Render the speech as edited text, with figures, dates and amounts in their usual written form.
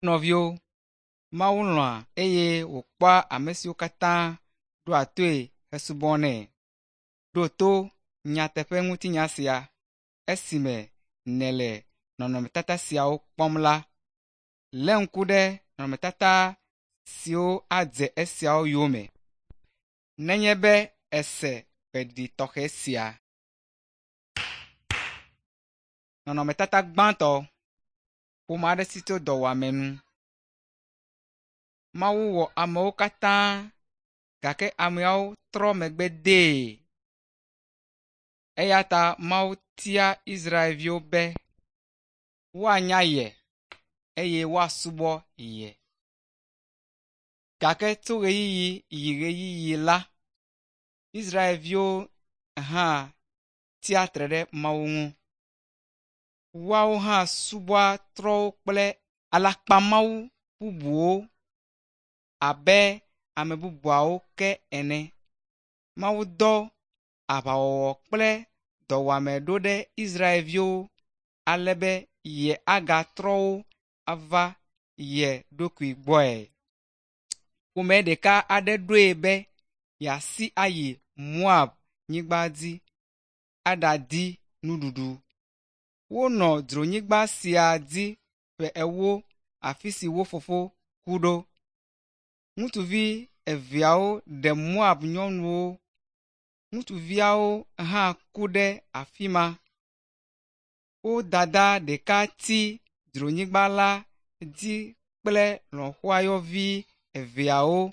Nɔviwo, Mawu lɔ̃a eye wòkpɔa ame siwo katã ɖoa toe hesubɔnɛ. Ɖo to nyateƒe ŋutinya sia esime nèle nɔnɔmetata siawo kpɔm la. Lé ŋku ɖe nɔnɔmetata siwo adze esiawo yome nenye be èse gbeɖiɖi tɔxɛ sia. Nɔnɔmetata gbãtɔ, ƒome aɖe si tso dɔwɔame nu. Mawu wɔ amewo katã gake ameawo trɔ megbe dee. Eya ta Mawu tia Israelviwo be woanya ye eye woasubɔ ye. Gake tso ɣeyiɣi yi ɣeyiɣi la, Israelviwo hã tsia tre ɖe Mawu ŋu. Woawo hã subɔa trɔ̃wo kple alakpamawu bubuwo abe ame bubuawo ke ene. Mawu dɔ aʋawɔwɔ kple dɔwɔame ɖo ɖe Israelviwo ale be yeagatrɔ wo ava ye ɖokui gbɔe. Ƒome ɖeka aɖe ɖoe be yeasi ayi Moab nyigba dzi aɖadi nuɖuɖu. Wonɔ dzronyigba sia dzi ƒe ewo afi si wo fofo ku ɖo. Ŋutsuvi eveawo ɖe Moab nyɔnuwo. Ŋutsuviawo hã ku ɖe afi ma. Wo dada ɖeka tsi dzronyigba la dzi kple lɔ̃xoayɔvi eveawo.